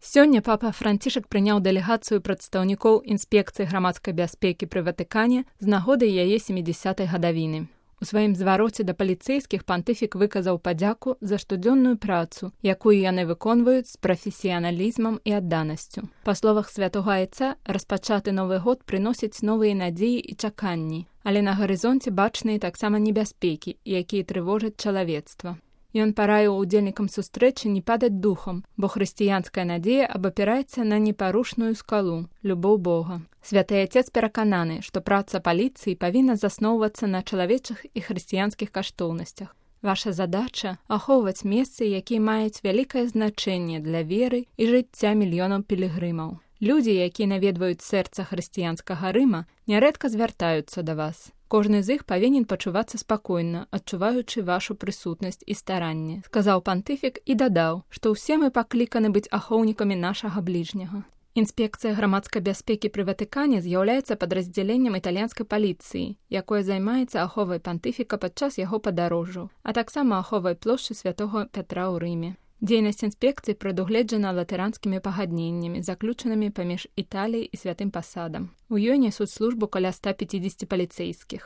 Сёння папа Францішак прыняў дэлегацыю прадстаўнікоў інспекцыі грамадскай бяспекі пры Ватыкане з нагоды яе 70-й гадавіны. У сваім звароце да паліцэйскіх пантыфік выказаў падзяку за штодзённую працу, якую яны выконваюць з прафесіяналізмам і адданасцю. Па словах святога айца, распачаты Новы год прыносіць новыя надзеі і чаканні, але на гарызонце бачныя таксама небяспекі, якія трывожаць чалавецтва. Ён параіў удзельнікам сустрэчы не падаць духам, бо хрысціянская надзея абапіраецца на непарушную скалу – любоў Бога. Святы Отец перакананы, што праца паліцыі павінна засноўвацца на чалавечых і хрысціянскіх каштоўнасцях. Ваша задача – ахоўваць месцы, якія маюць вялікае значэнне для веры і жыцця мільёнаў пілігрымаў. Людзі, якія наведваюць сэрца хрысціянскага Рыма, нярэдка звяртаюцца да вас. Кожны з іх павінен пачувацца спакойна, адчуваючы вашу прысутнасць і старанне, сказаў пантыфік і дадаў, што ўсе мы пакліканы быць ахоўнікамі нашага бліжняга. Інспекцыя грамадскай бяспекі пры Ватыкане з'яўляецца падраздзяленнем італьянскай паліцыі, якое займаецца аховай пантыфіка падчас яго падарожжаў, а таксама аховай плошчы святога Пятра ў Рыме. Дзейнасць інспекцыі прадугледжана латаранскімі пагадненнямі, заключанымі паміж Італіяй і святым пасадам. У ёй нясуць службу каля 150 паліцэйскіх.